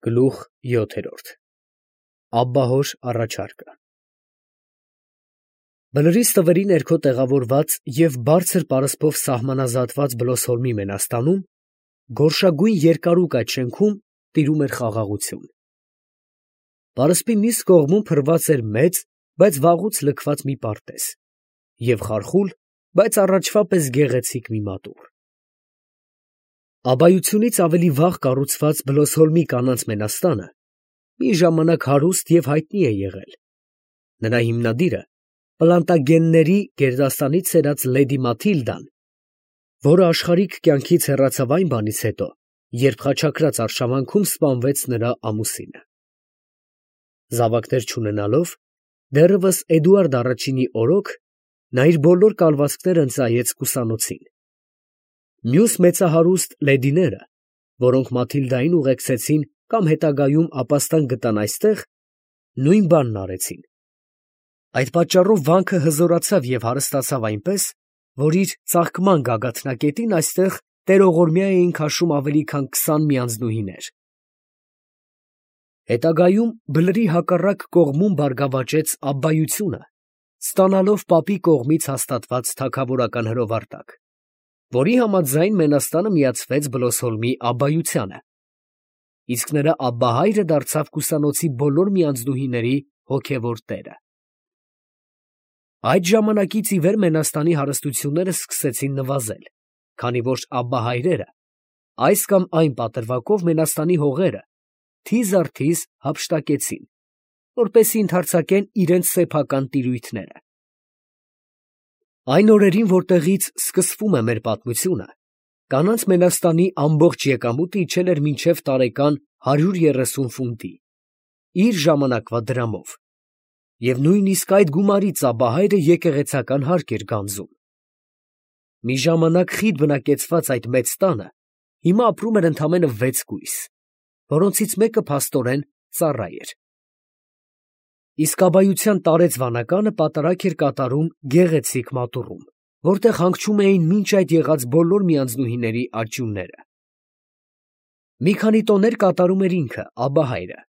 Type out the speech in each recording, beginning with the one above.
Գլուխ 7 Աբբահոր առաջարկը Բլրի ստվերի ներքո տեղավորված և բարձր պարսպով սահմանազատված Բլոսհոլմի Մենաստանում, գորշագույն երկարուկ այդ շենքում տիրում էր խաղաղություն։ Պարսպի մյուս կողմում փռված էր մեծ, բայց վաղուց լքված մի պարտեզ և խարխուլ, բայց առաջվա պես գեղեցիկ մի մատուռ։ Աբայությունից ավելի վաղ կառուցված Բլոսհոլմի կանանց մենաստանը մի ժամանակ հարուստ և հայտնի է եղել. նրա հիմնադիրը Պլանտագենների գերդաստանից սերած լեդի Մաթիլդան, որը աշխարհիկ կյանքից հեռացավ այն բանից հետո, երբ խաչակրաց արշավանքում սպանվեց նրա ամուսինը։ Զավակներ չունենալով, դեռևս Էդուարդ առաջինի օրոք, նա իր բոլոր կալվածքները ընծայեց կուսանոցին։ Մյուս մեծահարուստ լեդիները, որոնք Մաթիլդային ուղեկցեցին կամ հետագայում ապաստան գտան այստեղ, նույն բանն արեցին։ Այդ պատճառով վանքը հզորացավ և հարստացավ այնպես, որ իր ծաղկման գագաթնակետին այստեղ տերողորմյա էին քաշում ավելի քան 20 միանձնուհիներ։ Հետագայում Բլրի հակառակ կողմում բարգավաճեց Աբբայությունը, ստանալով պապի կողմից հաստատված թագավորական հրովարտակ, որի համաձայն Մենաստանը միացվեց Բլոսհոլմի Աբբայությանը, իսկ նրա աբբահայրը դարձավ կուսանոցի բոլոր միանձնուհիների հոգևոր տերը։ Այդ ժամանակից ի վեր Մենաստանի հարստությունները սկսեցին նվազել, քանի որ աբբահայրերը այս կամ այն պատրվակով Մենաստանի հողերը թիզ առ թիզ հափշտակեցին, որպեսզի ընդարձակեն իրենց սեփական տիրույթները։ Այն օրերին, որտեղից սկսվում է մեր պատմությունը, կանանց Մենաստանի ամբողջ եկամուտը իջել էր մինչև տարեկան 130 ֆունտի, իր ժամանակվա դրամով, և նույնիսկ այդ գումարից աբբահայրը եկեղեցական հարկ էր գանձում։ Մի ժամանակ խիտ բնակեցված այդ մեծ տանը հիմա ապրում էր ընդամենը 6 կույս, որոնցից մեկը փաստորեն ծառա էր։ Իսկ աբբայության տարեց վանականը պատարագ էր կատարում գեղեցիկ մատուռում, որտեղ հանգչում էին մինչ այդ եղած բոլոր միանձնուհիների աճյունները։ Մի քանի տոներ կատարում էր ինքը, աբբահայրը,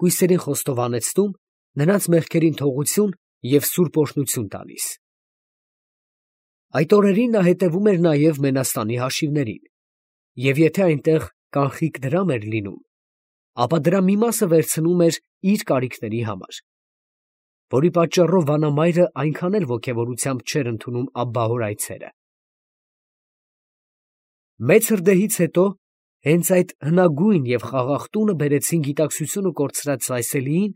կույսերին խոստովանեցնում, նրանց մեղքերին թողություն և սուրբ օրհնություն տալիս։ Այդ օրերին նա հետևում էր նաև Մենաստանի հաշիվներին, և եթե այնտեղ կանխիկ դրամ էր լինում, ապա դրա մի մասը վերցնում էր իր կարիքների համար, որի պատճառով վանամայրը այնքան էլ ոգևորությամբ չէր ընդունում աբբահոր այցերը։ Մեծ հրդեհից հետո հենց այդ հնագույն և խաղաղ տունը բերեցին գիտակցությունը կորցրած Սայսելիին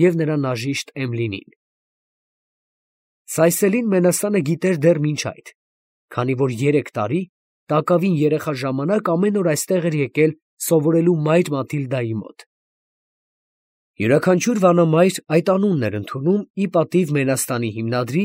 և նրա նաժիշտ Էմլինին։ Սայսելին Մենաստանը գիտեր դեռ մինչ այդ, քանի որ 3 տարի, տակավին երեխա ժամանակ ամեն օր այստեղ էր եկել սովորելու մայր Մաթիլդայի մոտ։ Յուրաքանչյուր վանամայր այդ անունն էր ընդունում ի պատիվ Մենաստանի հիմնադրի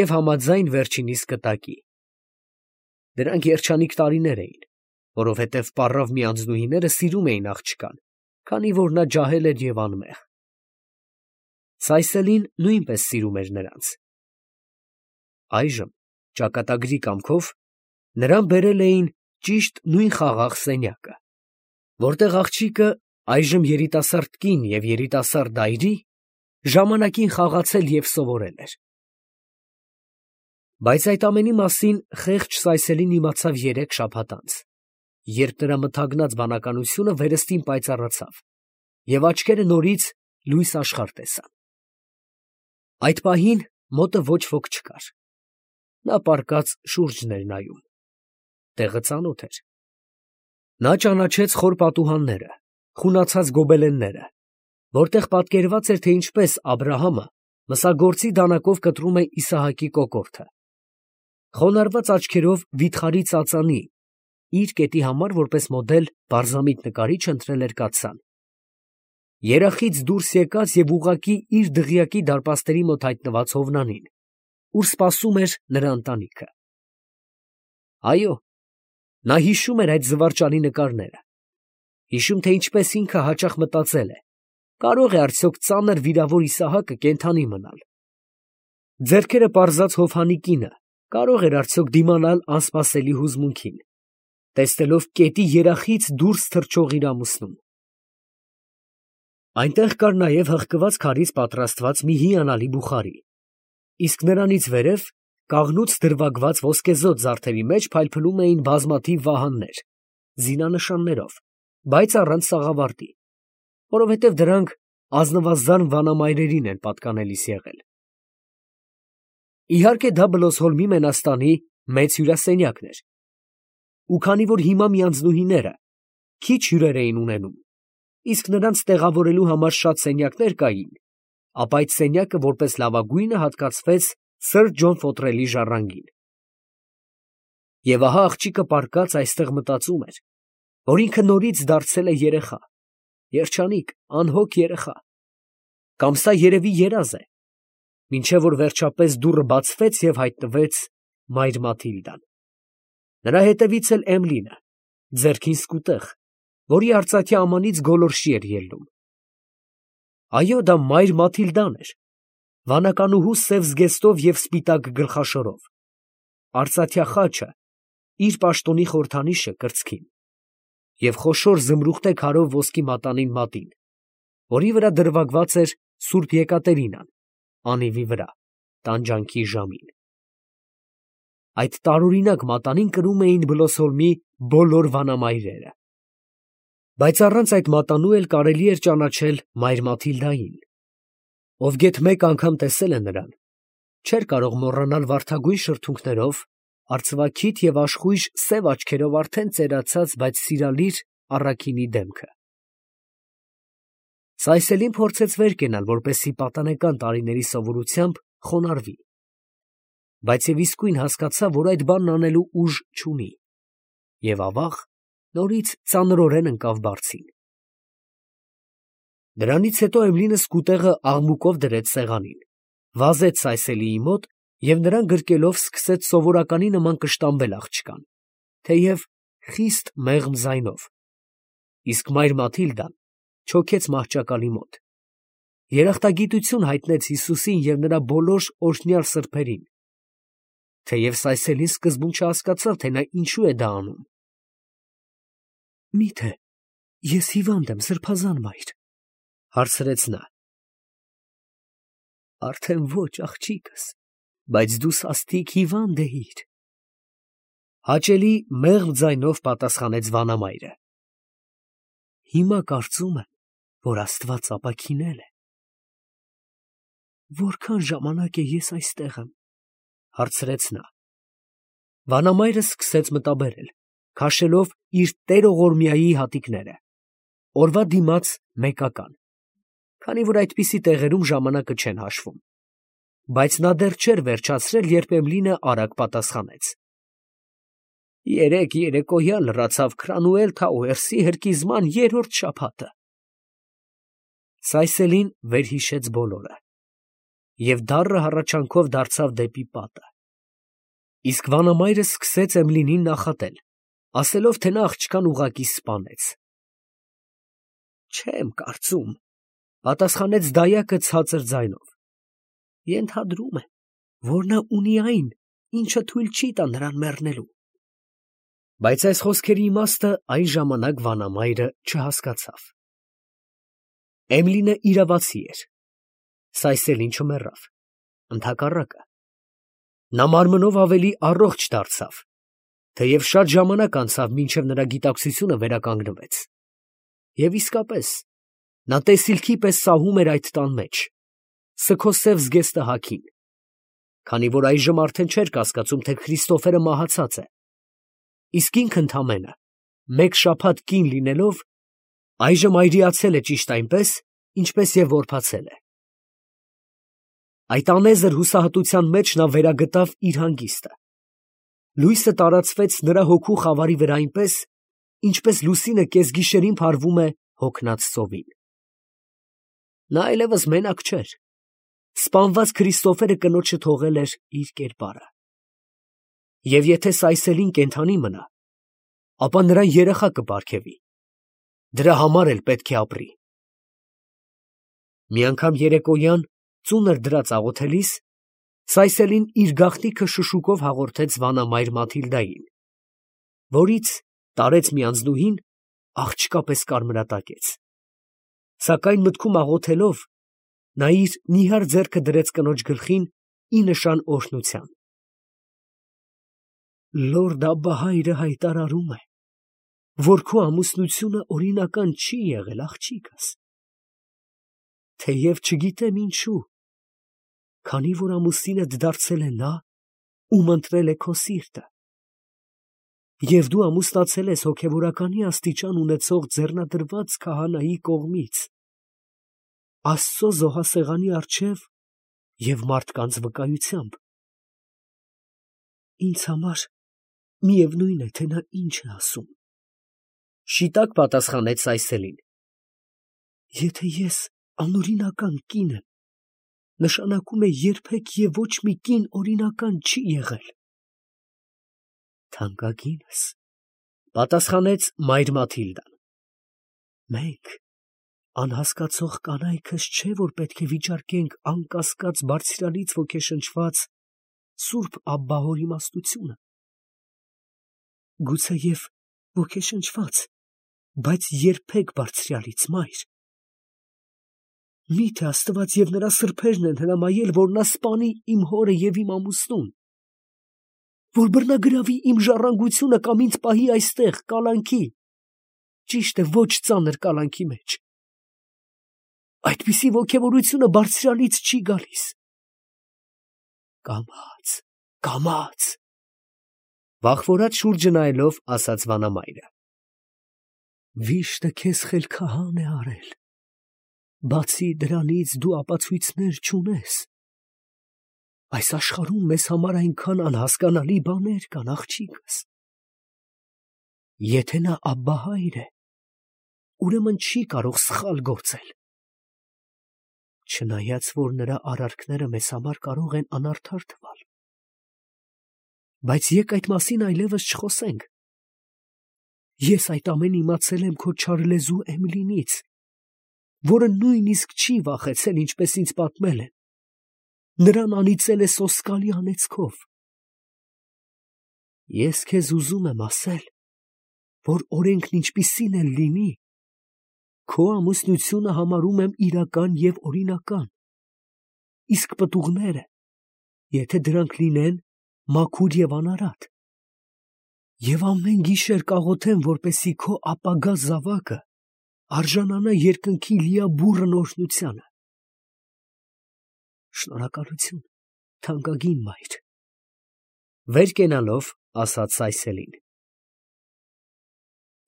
և համաձայն վերջինիս կտակի։ Դրանք երջանիկ տարիներ էին, որովհետև պառավ միանձնուհիները սիրում էին աղջկան, քանի որ նա ջահել էր և անմեղ։ Սայսելին նույնպես սիրում էր նրանց։ Այժմ, ճակատագրի կամքով, նրան բերել էին ճիշտ նույն խաղաղ սենյակը, որտեղ աղջիկը, այժմ երիտասարդ կին և երիտասարդ այրի, ժամանակին խաղացել և սովորել էր։ Բայց այդ ամենի մասին խեղճ Սայսելին իմացավ 3 շաբաթ անց, երբ նրա մթագնած բանականությունը վերստին պայծառացավ, և աչքերը նորից լույս աշխարհ տեսան։ Այդ պահին մոտը ոչ ոք չկար։ Նա պառկած շուրջն էր նայում։ Տեղը ծանոթ էր։ Նա ճանաչեց խոր պատուհանները, խունացած գոբելենները, որտեղ պատկերված էր, թե ինչպես Աբրահամը մսագործի դանակով կտրում է Իսահակի կոկորդը։ Խոնարհված աչքերով վիթխարի ծածանի, իր կետի համար որպես մոդել պարզամիտ նկարիչ ընտրել էր կաթսան։ Երախից դուրս եկած և ուղղակի իր դղյակի դարպասների մոտ հայտնված Հովնանին, ուր սպասում էր նրա ընտանիքը։ Այո, նա հիշում էր այդ զվարճալի նկարները, հիշում, թե ինչպես ինքը հաճախ մտածել է. կարող է արդյոք ծանր վիրավոր Իսահակը կենդանի մնալ։ Ձեռքերը պարզած Հովհանի կինը կարող էր արդյոք դիմանալ անսպասելի հուզմունքին, տեսնելով կետի երախից դուրս թռչող իր ամուսնուն։ Այնտեղ կար նաև հղկված քարից պատրաստված մի հիանալի բուխարի, իսկ նրանից վերև կաղնուց դրվագված ոսկեզօծ զարդերի մեջ փայլփլում էին բազմաթիվ վահաններ, զինանշաններով, բայց առանց սաղավարտի, որովհետև դրանք ազնվազան վանամայրերին են պատկանելիս եղել։ Իհարկե դա Բլոսհոլմի մենաստանի մեծ հյուրասենյակն էր, ու քանի որ հիմա միանձնուհիները քիչ հյուրեր էին ունենում, իսկ նրանց տեղավորելու համար շատ սենյակներ կային, ապա այդ սենյակը որպես լավագույնը հատկացվեց սըր Ջոն Ֆոտրելի ժառանգին։ Եվ ահա աղջիկը պառկած այստեղ մտածում էր, որ ինքը նորից դարձել է երեխա, երջանիկ, անհոգ երեխա, կամ սա երևի երազ է, մինչև որ վերջապես դուռը բացվեց և հայտնվեց մայր Մաթիլդան։ Նրա հետևից էլ Էմլինը, ձեռքին սկուտեղ, որի արծաթյա ամանից գոլորշի էր ելնում։ Այո, դա մայր Մաթիլդան էր, վանականուհու սև զգեստով և սպիտակ գլխաշորով, արծաթյա խաչը, իր պաշտոնի խորհրդանիշը կրծքին, և խոշոր զմրուխտե քարով ոսկի մատանին մատին, որի վրա դրվագված էր Սուրբ Եկատերինան, անիվի վրա, տանջանքի ժամին։ Այդ տարօրինակ մատանին կրում էին Բլոսհոլմի բոլոր վանամայրերը։ Բայց առանց այդ մատանու էլ կարելի էր ճանաչել մայր Մաթիլդային, ով գեթ մեկ անգամ տեսել է նրան, չէր կարող մոռանալ վարդագույն շրթունքներով, արծվաքիթ և աշխույժ սև աչքերով արդեն ծերացած, բայց սիրալիր առաքինի դեմքը։ Սայսելին փորձեց վեր կենալ, որպեսզի պատանեկան տարիների սովորությամբ խոնարհվի, բայց և իսկույն հասկացավ, որ այդ բանն անելու ուժ չունի, և ավաղ նորից ծանրորեն ընկավ բարձին։ Դրանից հետո Էմլինը սկուտեղը աղմուկով դրեց սեղանին, վազեց Սայսելիի մոտ և նրան գրկելով սկսեց սովորականի նման կշտամբել աղջկան, թեև խիստ մեղմ ձայնով, իսկ մայր Մաթիլդան չոքեց մահճակալի մոտ, երախտագիտություն հայտնեց Հիսուսին և նրա բոլոր օրհնյալ սրբերին, թեև Սայսելին սկզբում չհասկացավ, թե նա ինչու է դա անում։ «Մի՞թե ես հիվանդ եմ, սրբազան մայր, ֊ հարցրեց նա։ ֊ Արդեն ոչ, աղջիկս, բայց դու սաստիկ հիվանդ էիր, ֊ հաճելի մեղմ ձայնով պատասխանեց վանամայրը։ ֊ Հիմա կարծում եմ, որ Աստված ապաքինել է։ ֊ Որքան ժամանակ է ես այստեղ եմ, ֊ հարցրեց նա։ Վանամայրը սկսեց մտաբերել, քաշելով իր տերողորմյայի հատիկները, օրվա դիմաց մեկական, քանի որ այդպիսի տեղերում ժամանակը չեն հաշվում, բայց նա դեռ չէր վերջացրել, երբ Էմլինը արագ պատասխանեց. Երեկ երեկոյան լռացավ Քրանուել Թաուերսի հրկիզման 3-րդ շաբաթը։ Սայսելին վերհիշեց բոլորը և դառը հառաչանքով դարձավ դեպի պատը, իսկ վանամայրը սկսեց Էմլինին նախատել, ասելով, թե նա աղջկան ուղղակի սպանեց։ Չեմ կարծում, ֊ պատասխանեց դայակը ցածր ձայնով. ենթադրում եմ, որ նա ունի այն, ինչը թույլ չի տա նրան մեռնելու։ Բայց այս խոսքերի իմաստը այն ժամանակ վանամայրը չհասկացավ։ Էմլինը իրավացի էր։ Սայսելին չմեռավ, ընդհակառակը, նա մարմնով ավելի առողջ դարձավ, թեև շատ ժամանակ անցավ, մինչև նրա գիտակցությունը վերականգնվեց։ Եվ իսկապես, նա տեսիլքի պես սահում էր այդ տան մեջ, սգոսև զգեստը հագին, քանի որ այժմ արդեն չէր կասկածում, թե Քրիստոֆերը մահացած է, իսկ ինքն ընդամենը մեկ շաբաթ կին լինելով, այժմ այրիացել է ճիշտ այնպես, ինչպես և որբացել է։ Այդ անեզր հուսահատության մեջ նա վերագտավ իր հանգիստը։ Լույսը տարածվեց նրա հոգու խավարի վրա այնպես, ինչպես լուսինը կեսգիշերին փարվում է հոգնած ծովին։ Նա այլևս մենակ չէր։ Սպանված Քրիստոֆերը կնոջը թողել էր իր կերպարը։ Եվ եթե Սայսելին կենդանի մնա, ապա նրան երեխա կպարգևի։ Դրա համար էլ պետք է ապրի։ Մի անգամ երեկոյան ծունր դրած աղոթելիս, Սայսելին իր գաղտնիքը շշուկով հաղորդեց վանամայր Մաթիլդային, որից տարեց մի անձնուհին աղջկա պես կարմրատակեց։ Սակայն մտքում աղոթելով, նա իր նիհար ձեռքը դրեց կնոջ գլխին ի նշան օրհնության։ Լորդ Աբբահայրը հայտարարում է, որ քո ամուսնությունը օրինական չի եղել, աղջիկս։ Թեև չգիտեմ ինչու, քանի որ ամուսինդ դարձել է նա, ում ընտրել է քո սիրտը, և դու ամուսնացել ես հոգևորականի աստիճան ունեցող ձեռնադրված քահանայի կողմից, Աստծո զոհասեղանի առջև և մարդկանց վկայությամբ։ Ինձ համար միևնույն է, թե նա ինչ է ասում, շիտակ պատասխանեց Սայսելին։ Եթե ես անօրինական կին եմ, նշանակում է երբեք և ոչ մի կին օրինական չի եղել։ Թանկագինս, պատասխանեց մայր Մաթիլդան, մենք անհասկացող կանայքս չէ, որ պետք է վիճարկենք անկասկած բարձրալից ոգեշնչված Սուրբ Աբբահոր իմաստությունը։ Գուցեև ոգեշնչված, բայց երբեք բարձրալից, մայր։ Միթե Աստված և նրա սրբերն են հրամայել, որ նա սպանի իմ հորը և իմ ամուսնուն, որ բռնագրավի իմ ժառանգությունը կամ ինձ պահի այստեղ կալանքի, ճիշտ է, ոչ ծանր կալանքի մեջ։ Այդպիսի ոգևորությունը բարձրալից չի գալիս։ Կամաց, կամաց, վախվորած շուրջը նայելով ասաց վանամայրը։ Վիշտը քեզ խելքահան է արել, բացի դրանից դու ապացույցներ չունես։ Այս աշխարհում մեզ համար այնքան անհասկանալի բաներ կան, աղջիկս։ Եթե նա Աբբահայր է, ուրեմն չի կարող սխալ գործել։ Չնայած որ նրա արարքները մեզ համար կարող են անարդար թվալ։ Բայց եկ այդ մասին այլևս չխոսենք։ Ես այդ ամեն իմացել եմ քո չարլեզու Էմիլինից, որը նույնիսկ չի վախեցել, ինչպես ինձ պատմել են։ Նրան անիծել է սոսկալի անեծքով։ Ես քեզ ուզում եմ ասել, որ օրենքն ինչպիսին էլ լինի, քո ամուսնությունը համարում եմ իրական և օրինական, իսկ պտուղները, եթե դրանք լինեն մաքուր և անարատ, և ամեն գիշեր կաղոթեմ, որպեսզի քո ապագա զավակը արժանանա երկնքի լիաբուռն օրհնությանը։ Շնորհակալություն, թանկագին մայր։ Վեր կենալով ասաց Սայսելին։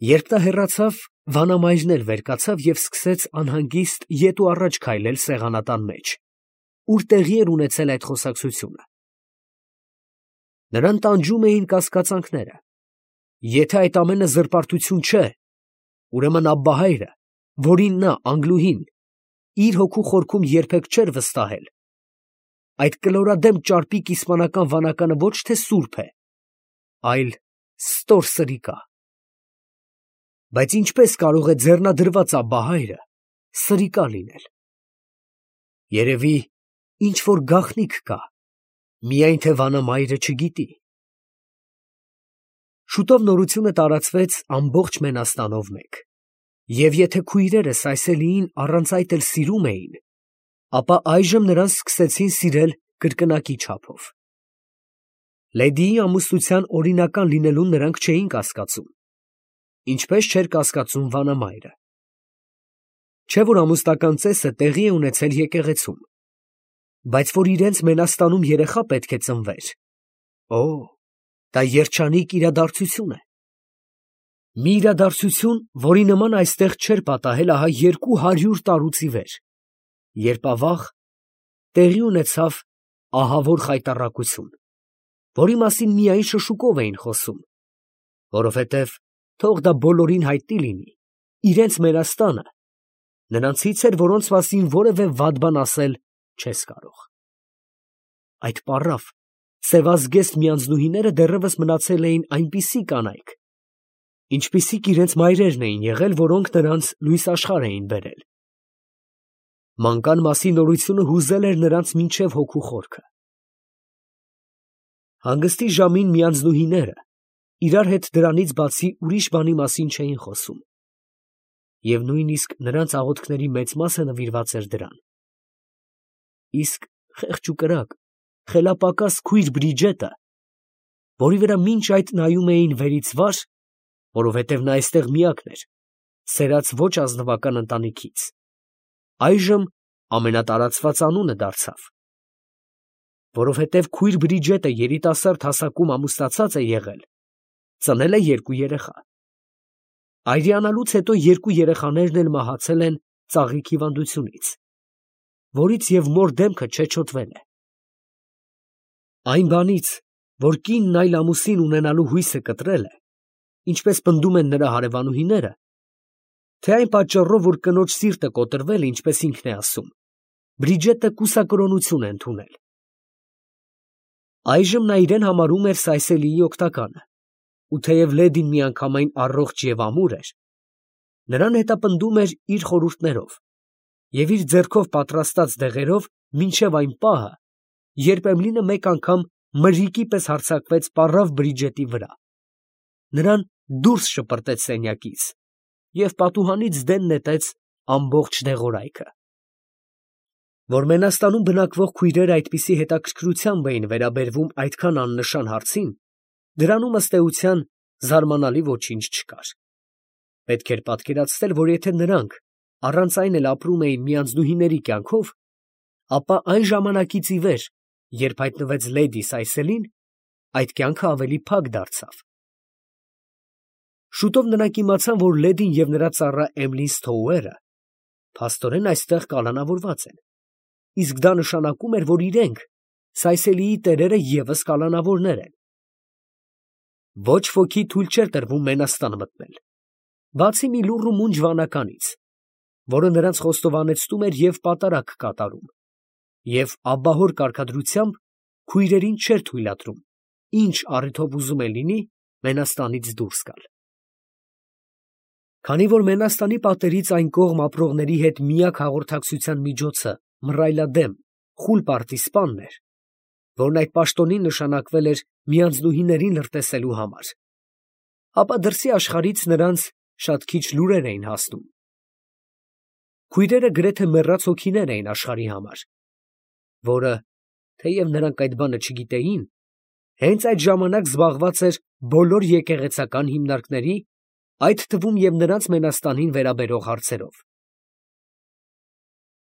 Երբ նա հեռացավ, վանամայրն էլ վեր կացավ և սկսեց անհանգիստ ետ ու առաջ քայլել սեղանատան մեջ, ուր տեղի էր ունեցել այդ խոսակցությունը։ Նրան տանջում էին կասկածանքները. եթե այդ ամենը զրպարտություն չէ, ուրեմն Աբբահայրը, որին նա, Անգլուհին, իր հոգու խորքում երբեք չէր վստահել, այդ կլորադեմ ճարպիկ իսպանական վանականը ոչ թե սուրբ է, այլ ստոր սրիկա։ Բայց ինչպես կարող է ձեռնադրված Աբբահայրը սրիկա լինել։ Երևի ինչ-որ գաղտնիք կա, միայն թե վանամայրը չգիտի։ Շուտով նորությունը տարածվեց ամբողջ Մենաստանով մեկ, և եթե քույրերը Սայսելիին առանց այդ էլ սիրում էին, ապա այժմ նրան սկսեցին սիրել կրկնակի չափով։ Լեդիի ամուսնության օրինական լինելուն նրանք չէին կասկածում, ինչպես չէր կասկածում վանամայրը։ Չէ որ ամուսնական ծեսը տեղի է ունեցել եկեղեցում, բայց որ իրենց Մենաստանում երեխա պետք է ծնվեր, օ, դա երջանիկ իրադարձություն է։ Մի իրադարձություն, որի նման այստեղ չէր պատահել ահա 200 տարուց ի վեր, երբ ավաղ տեղի ունեցավ ահավոր խայտառակություն, որի մասին միայն շշուկով էին խոսում, որովհետև թող դա բոլորին հայտնի լինի, իրենց Մենաստանը նրանցից էր, որոնց մասին որևէ վատ բան ասել չես կարող։ Այդ պառավ, սևազգեստ միանձնուհիները դեռևս մնացել էին այնպիսի կանայք, ինչպիսիք իրենց մայրերն էին եղել, որոնք նրանց լույս աշխարհ էին բերել։ Մանկան մասի նորությունը հուզել էր նրանց մինչև հոգու խորքը։ Հանգստի ժամին միանձնուհիները իրար հետ դրանից բացի ուրիշ բանի մասին չէին խոսում։ և նույնիսկ նրանց աղոթքների մեծ մասը նվիրված էր դրան։ Իսկ խեղճ ու կրակ, խելապակաս քույր Բրիջետը, որի վրա մինչ այդ նայում էին վերից վար, որովհետև նա այստեղ միակն էր, սերած ոչ ազնվական ընտանիքից, այժմ ամենատարածված անունը դարձավ։ Որովհետև քույր Բրիջետը երիտասարդ հասակում ամուսնացած է եղել, ծնել է 2 երեխա։ Այրիանալուց հետո 2 երեխաներն էլ մահացել են ծաղիկ հիվանդությունից, որից և մոր դեմքը չեչոտվել է։ Այն բանից, որ կինն այլ ամուսին ունենալու հույսը կտրել է, ինչպես պնդում են նրա հարևանուհիները, թե այն պատճառով, որ կնոջ սիրտը կոտրվել է, ինչպես ինքն է ասում, Բրիջետը կուսակրոնություն է ընդունել։ Այժմ նա իրեն համարում էր Սայսելիի օգտականը, ու թեև լեդին միանգամայն առողջ և ամուր էր, նրան հետապնդում էր իր խորհուրդներով և իր ձեռքով պատրաստած դեղերով մինչև այն պահը, երբ Էմլինը մեկ անգամ մրրիկի պես հարձակվեց պառավ Բրիջետի վրա, նրան դուրս շպրտեց սենյակից և պատուհանից դեն նետեց ամբողջ դեղորայքը։ Որ Մենաստանում բնակվող քույրերը այդպիսի հետաքրքրությամբ էին վերաբերվում այդքան աննշան հարցին, դրանում ըստ էության զարմանալի ոչինչ չկար։ Պետք էր պատկերացնել, որ եթե նրանք առանց այն էլ ապրում էին միանձնուհիների կյանքով, ապա այն ժամանակից ի վեր, երբ հայտնվեց լեդի Սայսելին, այդ կյանքը ավելի փակ դարձավ։ Շուտով նրանք իմացան, որ լեդին և նրա ծառա Էմլին Սթոուերը փաստորեն այստեղ կալանավորված են, իսկ դա նշանակում էր, որ իրենք, Սայսելիի տերերը, ևս կալանավորներ են։ Ոչ ոքի թույլ չէր տրվում Մենաստան մտնել, բացի մի լուռ ու մունջ վանականից, որը նրանց խոստովանեցնում էր և պատարագ կատարում, և աբահոր կարգադրությամբ քույրերին չէր թույլատրում, ինչ առիթով ուզում է լինի, Մենաստանից դուրս գալ։ Քանի որ Մենաստանի պատերից այն կողմ ապրողների հետ միակ հաղորդակցության միջոցը մռայլադեմ, խուլ պարտիզպանն էր, որն այդ պաշտոնին նշանակվել էր միանձնուհիներին լրտեսելու համար, ապա դրսի աշխարհից նրանց շատ քիչ լուրեր էին հասնում։ Քույրերը գրեթե մեռած հոգիներ էին աշխարհի համար, որը, թեև նրանք այդ բանը չգիտեին, հենց այդ ժամանակ զբաղված էր բոլոր եկեղեցական հիմնարկների, այդ թվում և նրանց Մենաստանին վերաբերող հարցերով։